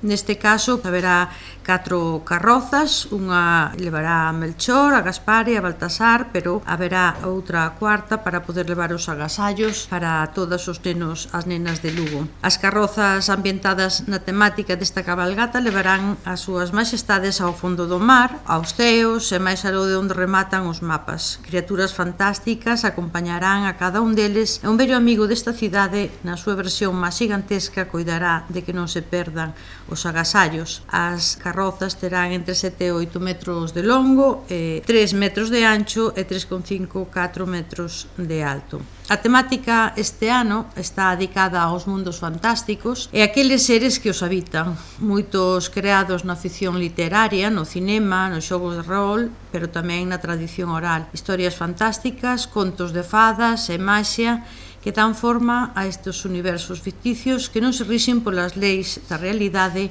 Neste caso haberá 4 carrozas, unha levará a Melchor, a Gaspar e a Baltasar, pero haberá outra cuarta para poder levar os agasallos para todos os nenos, as nenas de Lugo. As carrozas ambientadas na temática desta cabalgata levarán as súas majestades ao fondo do mar, aos ceos e máis aló de onde rematan os mapas. Criaturas fantásticas acompañarán a cada un deles e un vello amigo desta cidade, na súa versión máis gigantesca, coidará de que non se perdan os agasallos. As carrozas terán entre 7 e 8 metros de longo, 3 metros de ancho e 3,5-4 metros de alto. A temática este ano está dedicada aos mundos fantásticos e aqueles seres que os habitan, moitos creados na ficción literaria, no cinema, nos xogos de rol, pero tamén na tradición oral. Historias fantásticas, contos de fadas e maxia que dan forma a estes universos ficticios que non se rixen polas leis da realidade